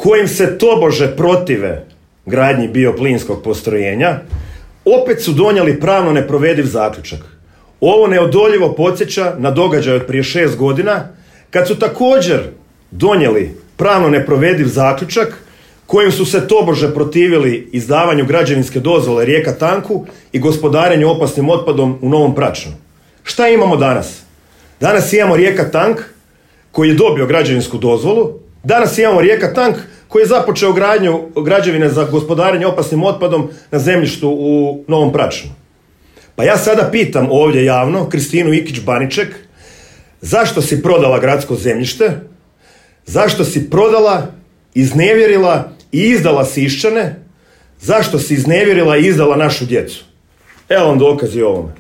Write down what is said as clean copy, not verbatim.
kojim se tobože protive gradnji bioplinskog postrojenja, opet su donijeli pravno neprovediv zaključak. Ovo neodoljivo podsjeća na događaj od prije 6 godina, kad su također donijeli pravno neprovediv zaključak kojim su se tobože protivili izdavanju građevinske dozvole Rijeka Tanku i gospodarenju opasnim otpadom u Novom Pračnu. Šta imamo danas? Danas imamo Rijeka Tank koji je dobio građevinsku dozvolu, danas imamo Rijeka Tank koji je započeo gradnju građevine za gospodarenje opasnim otpadom na zemljištu u Novom Pračnu. Pa ja sada pitam ovdje javno Kristinu Ikić-Baniček, zašto si prodala gradsko zemljište, zašto si prodala, iznevjerila i izdala Siščane, zašto si iznevjerila i izdala našu djecu? Evo vam dokazi o ovome.